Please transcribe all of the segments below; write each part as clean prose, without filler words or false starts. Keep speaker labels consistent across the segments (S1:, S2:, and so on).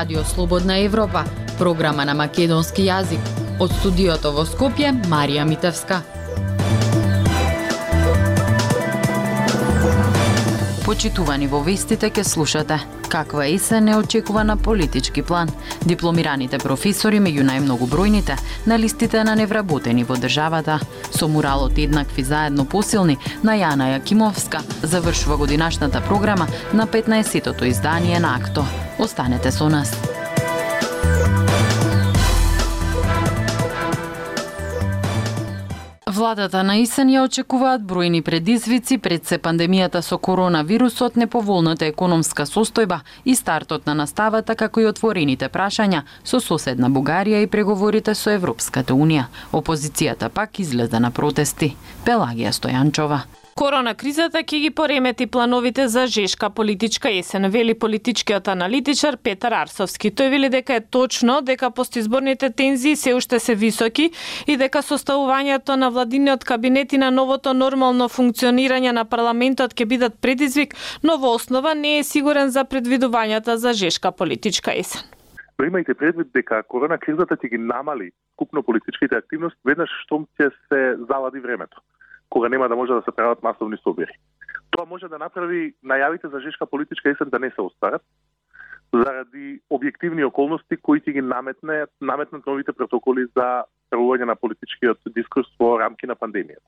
S1: Радио Слободна Европа, програма на македонски јазик. Од студиото во Скопје, Марија Митевска. Почитувани во вестите ке слушате каква есен е очекувана политички план. Дипломираните професори меѓу најмногобројните на листите на невработени во државата. Со муралот еднакви заедно посилни на Јана Јакимовска завршува годинашната програма на 15-тото издание на АКТО. Останете со нас. Владата на есен ја очекуваат бројни предизвици пред се пандемијата со коронавирусот, неповолната економска состојба и стартот на наставата, како и отворените прашања со соседна Бугарија и преговорите со Европската Унија. Опозицијата пак излезе на протести. Пелагија Стојанчова.
S2: Корона кризата ќе ги поремети плановите за жешка политичка есен, вели политичкиот аналитичар Петар Арсовски. Тој вели дека е точно дека постизборните тензии се уште се високи и дека составувањето на владиниот кабинет и на новото нормално функционирање на парламентот ќе бидат предизвик, но во основа не е сигурен за предвидувањата за жешка политичка есен.
S3: Имајте предвид дека корона кризата ќе ги намали купно политичките активности веднаш штом ќе се залади времето, кога нема да може да се прават масовни собери. Тоа може да направи најавите за жешка политичка есен да не се остварат, заради објективни околности кои ќе ги наметнат новите протоколи за правување на политичкиот дискурс во рамки на пандемијата.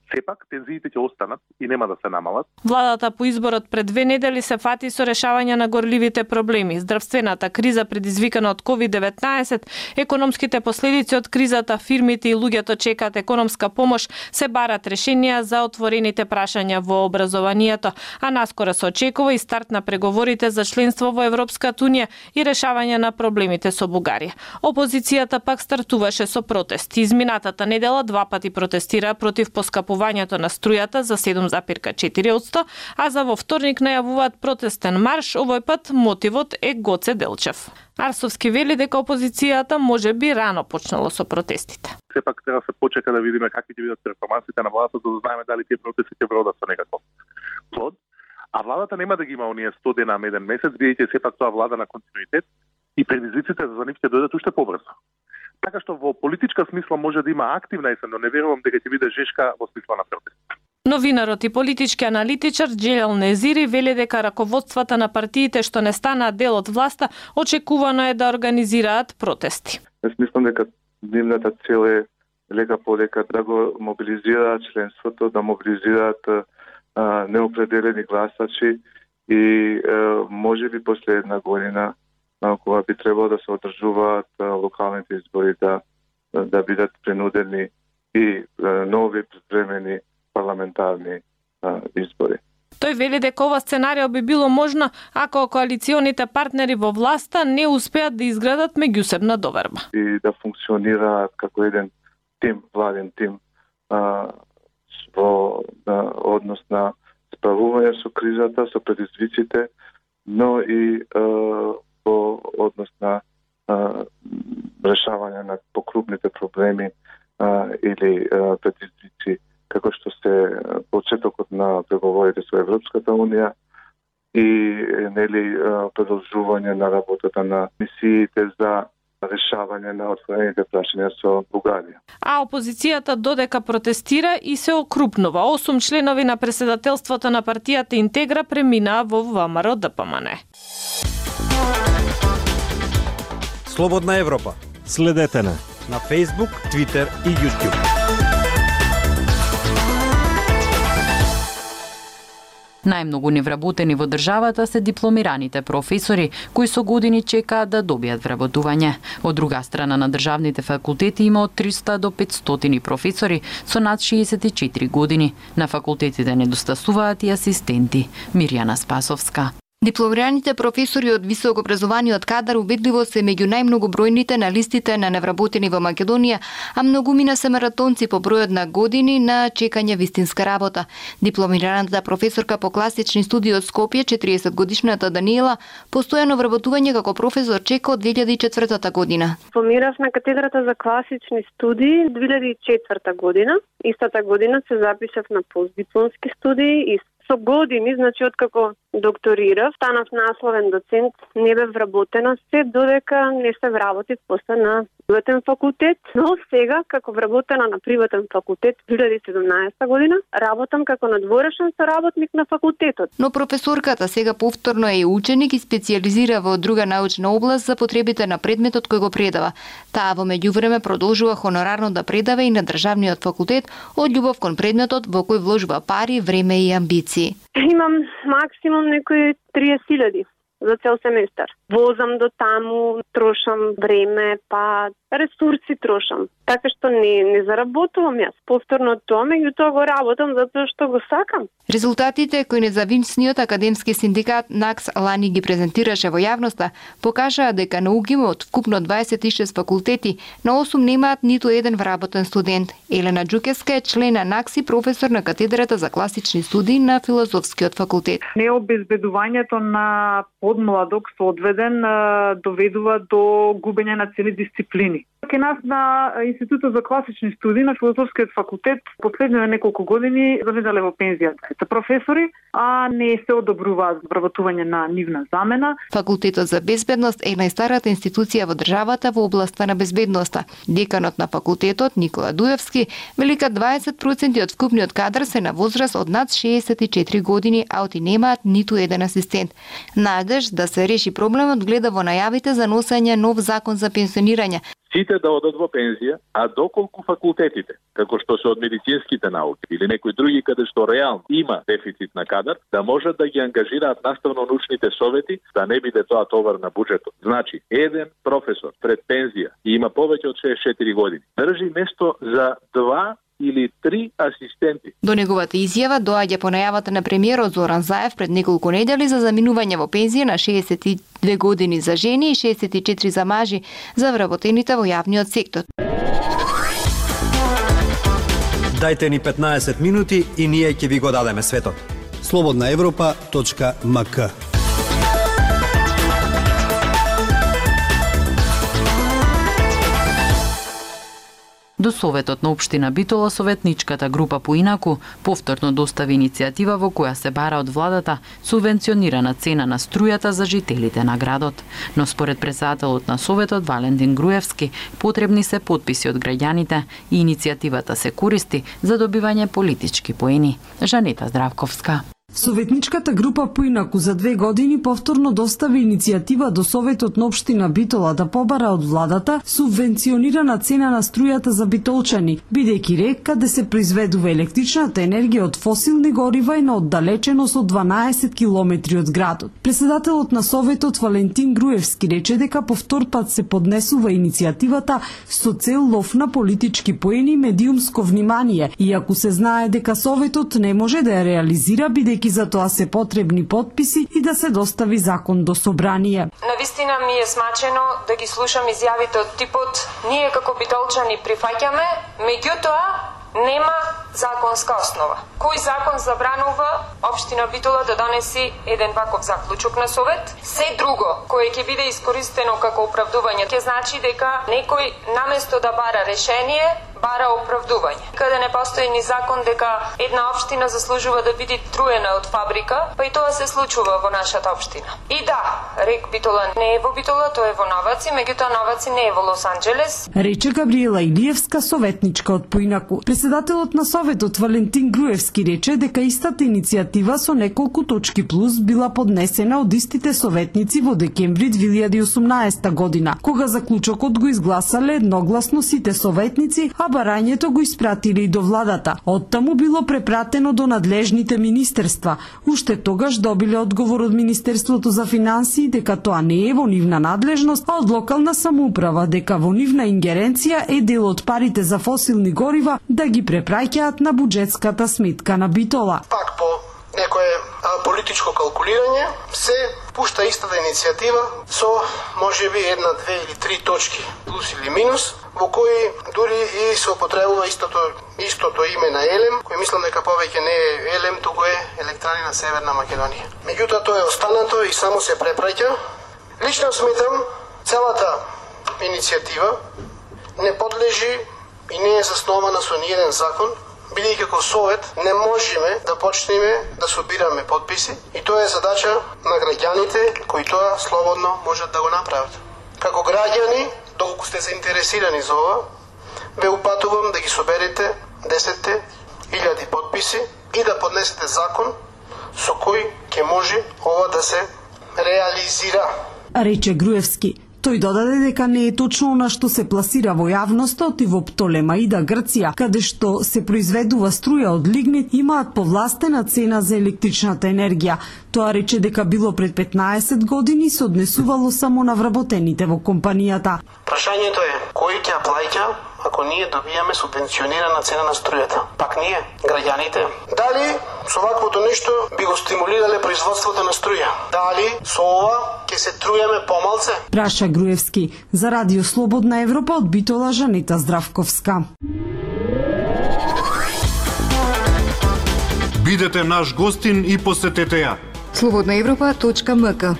S3: Сепак, тензиите ќе останат и нема да се намалат.
S2: Владата по изборот пред 2 недели се фати со решавање на горливите проблеми. Здравствената криза предизвикана од COVID-19, економските последици од кризата, фирмите и луѓето чекаат економска помош, се барат решенија за отворените прашања во образованието, а наскоро се очекува и старт на преговорите за членство во Европската Унија и решавање на проблемите со Бугарија. Опозицијата пак стартуваше со протести. Изминатата недела 2 пати протестира против поскапувањето на струјата за 7,4%, а за во вторник најавуваат протестен марш, овој пат мотивот е Гоце Делчев. Арсовски вели дека опозицијата може би рано почнало со протестите.
S3: Сепак треба се почека да видиме какви ќе бидат перформансите на владата, за да знаеме дали тие протести ќе вродат со некаков плод. А владата нема да ги има оние 100 дена на еден месец, бидејќи сепак тоа влада на континуитет и предизвиците за нив ќе дојдат уште побрзо. Така што во политичка смисла може да има активна есен, но не верувам дека ќе биде жешка во смисла на протест.
S2: Новинарот и политички аналитичар Джелел Незири вели дека раководствата на партиите што не станаат дел од власта очекувано е да организираат протести.
S4: Јас мислам дека нивната цел е лека полека да го мобилизираат членството, да мобилизираат неопределени гласачи и може би после една година кога би требало да се одржуваат локалните избори да бидат принудени и нови привремени парламентарни избори.
S2: Тој вели дека ова сценарио би било можно ако коалиционите партнери во власта не успеат да изградат меѓусебна доверба.
S4: И да функционираат како еден тим, владен тим во однос на справување со кризата, со предизвиците, но и во однос на решавање на покрупните проблеми или предизвици како што се почетокот на преговорите со Европската Унија и продолжување на работата на мисиите за решавање на отворените прашања со Бугарија.
S2: А опозицијата додека протестира и се окрупнува. 8 членови на претседателството на партијата Интегра преминаа во ВМРО ДПМН.
S5: Слободна Европа. Следете на Facebook, Twitter и YouTube.
S1: Најмногу невработени во државата се дипломираните професори, кои со години чекаат да добијат вработување. Од друга страна на државните факултети има од 300 до 500 професори со над 64 години. На факултетите недостасуваат и асистенти. Мирјана Спасовска.
S6: Дипломираните професори од високообразованиот кадар убедливо се меѓу најмногобројните на листите на невработени во Македонија, а многумина се маратонци по бројот на години на чекање вистинска работа. Дипломираната професорка по класични студии од Скопје, 40-годишната Даниела, постојано вработување како професор чека од 2004 година.
S7: Дипломирав на катедрата за класични студии 2004 година. Истата година се запишав на постдипломски студии и со години, значи откако докторирав, станав насловен доцент, не бев вработена се додека не се вработив после на приватен факултет, но сега како вработена на приватен факултет 2017 година работам како надворешен соработник на факултетот.
S6: Но професорката сега повторно е ученик и специализира во друга научна област за потребите на предметот кој го предава. Таа во меѓувреме продолжува хонорарно да предава и на државниот факултет од љубов кон предметот во кој вложува пари, време и амбиции.
S7: Имам максимум некои 30.000 за цел семестар. Возам до таму, трошам време, па ресурси трошам. Така што не заработувам јас. Повторно тоа, меѓутоа го работам затоа што го сакам.
S6: Резултатите кои независниот академски синдикат НАКС лани ги презентираше во јавноста покажаа дека на УГИМ од вкупно 26 факултети на 8 немаат ниту еден вработен студент. Елена Џукевска е член на НАКС и професор на катедрата за класични студии на Филозофскиот факултет.
S8: Необезбедувањето на подмладок соодведен доведува до губење на цели дисциплини. Ке нас на Институтот за класични студии на Филозофскиот факултет последните неколку години заведале во пензија двајца професори, а не се одобруваат вработување на нивна замена.
S6: Факултетот за безбедност е најстарата институција во државата во областа на безбедноста. Деканот на факултетот Никола Дуевски велика 20% од вкупниот кадар се на возраст од над 64 години, а оти немаат ниту еден асистент. Надеж да се реши проблемот гледа во најавите за носење нов закон за пенсионирање.
S9: Сите да одат во пензија, а доколку факултетите, како што се од медицинските науки или некои други каде што реално има дефицит на кадар, да можат да ги ангажираат наставно-научните совети, да не биде тоа товар на буџетот. Значи, еден професор пред пензија и има повеќе од 64 години, држи место за 2 или 3 асистенти.
S6: До неговата изјава доаѓа по најавата на премиерот Зоран Заев пред неколку недели за заминување во пензија на 62 години за жени и 64 за мажи за вработените во јавниот сектор.
S5: Дајте ни 15 минути и ние ќе ви го дадеме светот.
S10: slobodnaevropa.mk.
S1: До Советот на Општина Битола, советничката група Поинаку повторно достави иницијатива во која се бара од владата субвенционирана цена на струјата за жителите на градот. Но според председателот на Советот Валентин Груевски, потребни се потписи од граѓаните и иницијативата се користи за добивање политички поени. Жанета Здравковска.
S11: Советничката група Поинаку за 2 години повторно достави иницијатива до Советот на Општина Битола да побара од владата субвенционирана цена на струјата за битолчани, бидејќи река каде се произведува електричната енергија од фосилни горива и на оддалеченост од 12 километри од градот. Председателот на Советот Валентин Груевски рече дека по втор пат се поднесува иницијативата со цел лов на политички поени и медиумско внимание, иако се знае дека Советот не може да ја реализира бидејќи за тоа се потребни потписи и да се достави закон до собрание.
S12: Навистина ми е смачено да ги слушам изјавите од типот ние како битолчани прифаќаме, меѓутоа нема законска основа. Кој закон забранува Општина Битола да донеси еден ваков заклучок на Совет? Се друго кое ќе биде искористено како оправдување ќе значи дека некој наместо да бара решение, бара оправдување. Каде не постои ни закон дека една општина заслужува да биде труена од фабрика, па и тоа се случува во нашата општина. И да, рек Битола не е во Битола, тоа е во Новаци, меѓутоа Новаци не е во Лос Анџелес.
S11: Рече Габриела Илиевска, советничка од Поинаку. Председателот на Советот Валентин Груевски рече дека истата иницијатива со неколку точки плюс била поднесена од истите советници во декември 2018 година, кога заклучокот го изгласале едногласно сите советници, а барањето го испратили и до владата. Оттаму било препратено до надлежните министерства. Уште тогаш добиле одговор од Министерството за финансии дека тоа не е во нивна надлежност, а од локална самоуправа дека во нивна ингеренција е дел од парите за фосилни горива да ги препраќаат на буџетската сметка на Битола.
S13: Пак по некое политичко калкулирање се пушта истата иницијатива со можеби една, две или три точки плюс или минус, во кои дури и се употребува истото име на Елем, кој мислам дека повеќе не е Елем, туку е Електрани на Северна Македонија. Меѓутоа тоа е останато и само се препраќа. Лично сметам целата иницијатива не подлежи и не е заснована со ниеден закон, бидејќи како совет не можеме да почнеме да собираме подписи и тоа е задача на граѓаните кои тоа слободно можат да го направат. Како граѓани, доколку сте заинтересирани за ова, ве упатувам да ги соберете 10.000 подписи и да поднесете закон со кој ќе може ова да се реализира.
S11: Рече Груевски. Тој додаде дека не е точно она што се пласира во јавноста, оти во Птолемаида, Грција, каде што се произведува струја од лигнит, имаат повластена цена за електричната енергија. Тоа рече дека било пред 15 години се однесувало само на вработените во компанијата.
S13: Прашањето е, кој ќе плаќа ако ние добијаме субвенционирана цена на струјата? Пак ние, граѓаните. Дали со ваквото нешто би го стимулирале производството на струја? Дали со ова ќе се трујаме помалце?
S11: Праша Груевски. За Радио Слободна Европа од Битола Жанета Здравковска.
S10: Бидете наш гостин и посетете ја.
S6: slobodnaevropa.mk.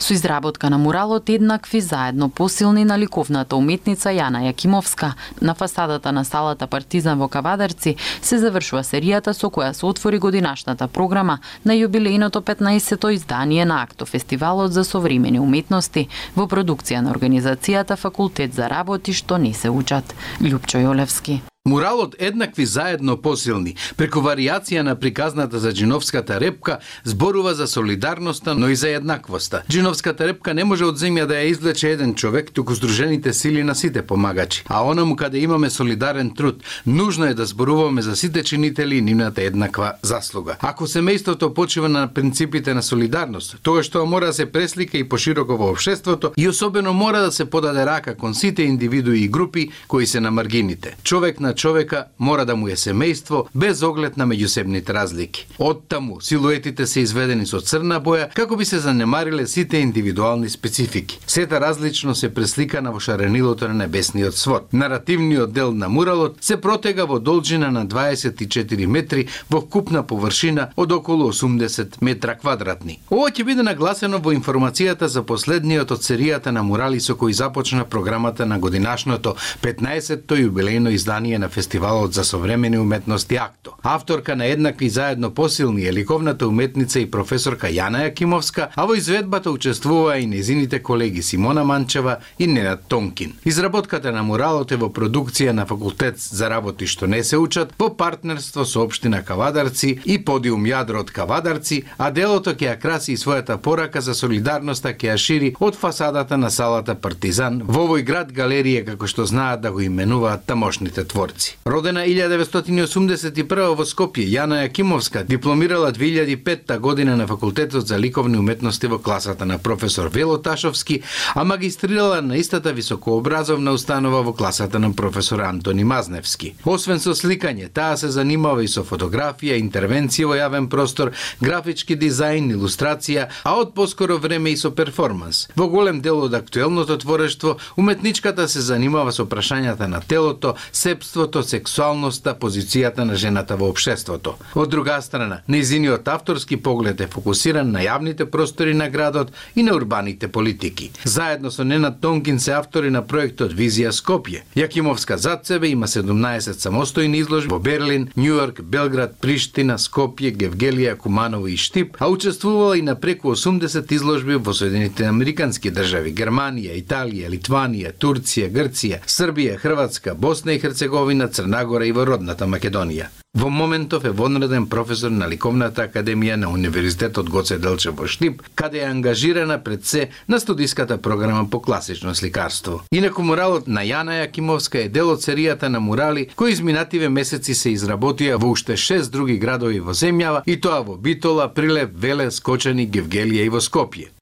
S1: Со изработка на муралот еднакви заедно посилни на ликовната уметница Јана Јакимовска на фасадата на салата Партизан во Кавадарци се завршува серијата со која се отвори годинашната програма на јубилејното 15-то издание на Актофестивалот за современи уметности во продукција на организацијата Факултет за работи што не се учат. Љупчо Јолевски.
S14: Муралот еднакви заедно посилни, преку варијација на приказната за Џиновската репка, зборува за солидарноста, но и за еднаквоста. Џиновската репка не може од земја да ја извлече еден човек, туку здружените сили на сите помагачи. А онаму каде имаме солидарен труд, нужно е да зборуваме за сите чинители и нивната еднаква заслуга. Ако семејството почива на принципите на солидарност, тогаш тоа мора да се преслика и пошироко во општеството и особено мора да се подаде рака кон сите индивидуи и групи кои се на маргините. Човек на човека мора да му е семејство без оглед на меѓусебните разлики. Оттаму силуетите се изведени со црна боја како би се занемариле сите индивидуални специфики. Сета различно се пресликана во шаренилото на небесниот свод. Наративниот дел на муралот се протега во должина на 24 метри во вкупна површина од околу 80 метра квадратни. Ова ќе биде нагласено во информацијата за последниот од серијата на мурали со кои започна програмата на годинашното 15-то јубилејно издание на Фестивалот за современи уметности Акто. Авторка на еднакви заедно посилни е ликовната уметница и професорка Јана Јакимовска, а во изведбата учествуваа и незините колеги Симона Манчева и Ненад Тонкин. Изработката на муралот е во продукција на Факултет за работи што не се учат, во партнерство со општина Кавадарци и подиум Јадро од Кавадарци, а делото ќе ја краси и својата порака за солидарноста ќе ја шири од фасадата на салата Партизан во овој град галерија како што знаат да го именуваат тамошните творци. Родена 1981 во Скопје, Јана Јакимовска дипломирала 2005 година на Факултетот за ликовни уметности во класата на професор Вело Ташовски, а магистрирала на истата високообразовна установа во класата на професор Антони Мазневски. Освен со сликање, таа се занимава и со фотографија, интервенција во јавен простор, графички дизајн, илустрација, а од поскоро време и со перформанс. Во голем дел од актуелното творештво, уметничката се занимава со прашањата на телото, сепството, сексуалноста, позицијата на жената во општеството. Од друга страна, нејзиниот авторски поглед е фокусиран на јавните простори на градот и на урбаните политики. Заедно со Ненад Тонкин се автори на проектот Визија Скопје. Јакимовска зад себе има 17 самостојни изложби во Берлин, Њујорк, Белград, Приштина, Скопје, Гевгелија, Куманово и Штип, а учествувала и на преку 80 изложби во Соединетите Американски држави, Германија, Италија, Литванија, Турција, Грција, Србија, Хрватска, Босна и Херцеговина, Црнагора и во родната Македонија. Во моментов е вонреден професор на Ликовната академија на Универзитетот Гоце Делчев во Штип, каде е ангажирана пред се на студиската програма по класично сликарство. Инаку муралот на Јана Јакимовска е дел од серијата на мурали кои изминативе месеци се изработија во уште 6 други градови во земјава, и тоа во Битола, Прилеп, Веле, Скочани, Гевгелија и во Скопје.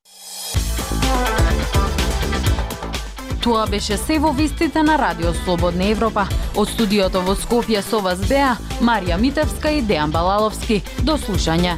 S1: Тоа беше се во вестите на Радио Слободна Европа. Од студиото во Скопје со вас беа Марија Митевска и Дејан Балаловски. До слушање.